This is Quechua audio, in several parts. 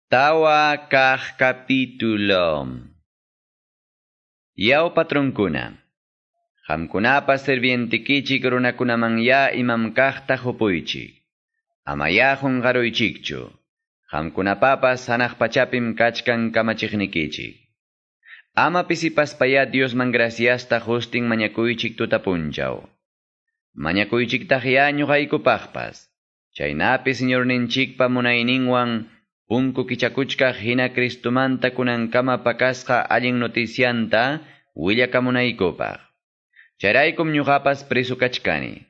4 kaq capítulo. Yaw patronkuna. Qamkunapa sirvientikichik runakunamanya imam kaqta qupuychik. Amaya qunqaruychikchu. Qamkunapapas hanaq pachapim kachkan kamachiqnikichik. Ama pisipaspaya Diosman graciasta hustin mañakuychik tutapunchaw. Mañakuychiktaqya ñuqaykupaqpas. Chaynapi Señorninchikpa munayninwan punku kichakuchkaq hina Cristumanta kunankama pakasqa allin noticianta willakamunaykupaq. Chayraykum ñuqapas preso kachkani.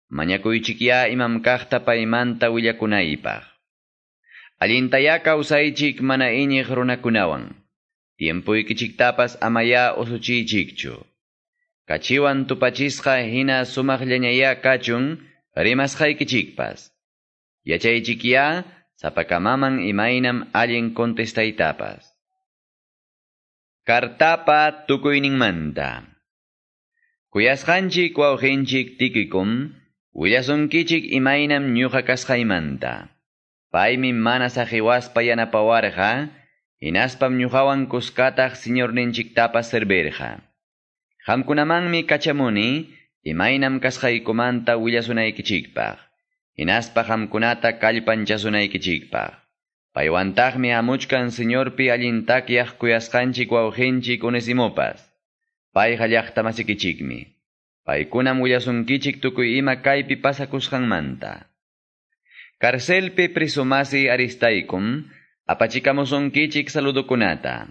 Mañakuychikya imam kaqta paymanta willakunaypaq. Allintaya kawsaychik mana iñiq runakunawan. Tiempuykichiktapas amaya usuchiychikchu. Kachiwan tupachisqa hina sumaqllañaya kachun rimasqaykichikpas. Yachaychikya sapakamaman imaynam allin contestaytapas. Kartapa tukuyninmanta. Kuyasqanchik wawqinchik Tiquikum, willasunkichik imaynam ñuqa kasqaymanta. Paymi mana saqiwaspa yanapawarqa, hinaspam ñuqawan kuskataq Señorninchiktapas servirqa. Qamkunamanmi kachamuni, imaynam kasqaykumanta willasunaykichikpaq. Hinaspa qamkunata kallpanchasunaykichikpaq. Paywantaqmi hamuchkan Señorpi allin takyaq kuyasqanchik wawqinchik Onesimopas. Payqa llaqtamasikichikmi. Paykunam willasunkichik tukuy ima kaypi pasakusqanmanta. Carcelpi prisumasi Aristaikum, apachikamusunkichik saludukunata.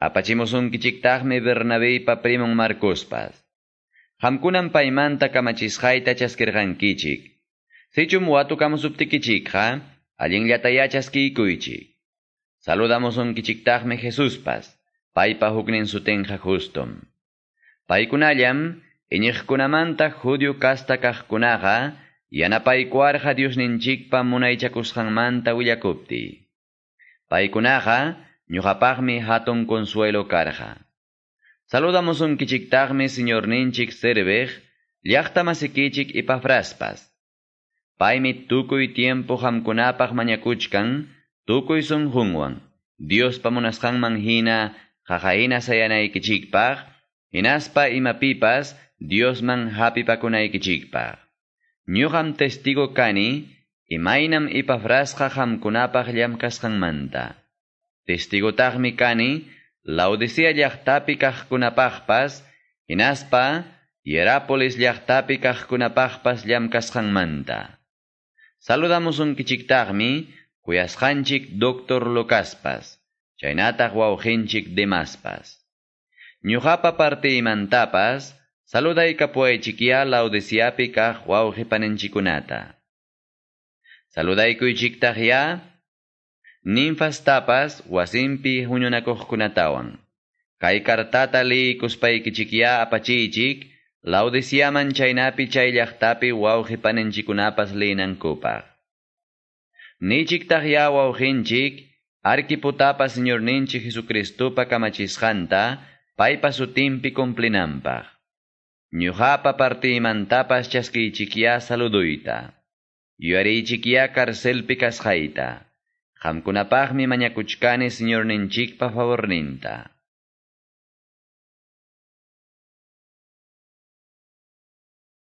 Apachimusunkichiktaqmi Bernabeypa primon Marcospas. Qamkunam paymanta kamachisqayta chaskirqankichik. Sichum watukamusuptikichikqa, allinllataya chaskiykuychik. Saludamusunkichiktaqmi Jesuspas, paypa huknin sutinqa Justum. Paykunallam, iñiqkunamanta judío kasta kaqkunaqa, yanapaykuarqa Diosninchikpa munaychakusqanmanta willakuptiy. Paykunaqa, ñuqapaqmi hatun consuelo karqa. Saludamusunkichiktaqmi Señorninchik serviq, llaqtamasikichik Epafraspas. Paymi tukuy tiempo qamkunapaq mañakuchkan, tukuy sunqunwan, Diospa munasqanman hina, qaqahina sayanaykichikpaq, hinaspa imapipas Diosman hapipakunaykichikpaq. Ñuqam testigo kani, imaynam Epafrasqa qamkunapaq llamkasqanmanta. Testigotaqmi kani, Laodicea llaqtapi kaqkunapaqpas, hinaspa Hierápolis llaqtapi kaqkunapaqpas llamkasqanmanta. Saludamusunkichiktaqmi kuyasqanchik Doctor Lucaspas, chaynataq wawqinchik Demaspas. Ñuqapa partiymantapas, saludaykapuwaychikya Laodiceapi kaq wawqi paninchikkunata. Saludaykuychiktaqya Ninfastapas wasinpi huñunakuqkunatawan. Kay kartata liyikuspaykichikya apachiychik Laodiceaman chaynapi chay llaqtapi wawqi paninchikkunapas liyinankupaq. Nichiktaqya wawqinchik Arquipotapa Señorninchik Jesucristopa kamachisqanta paypa sutinpi cumplinanpaq. Ñuqapa partiymantapas chaskiychikya saluduyta. Yuyariychikya carcelpi kasqayta. Qamkunapaqmi mañakuchkani Señorninchikpa favorninta.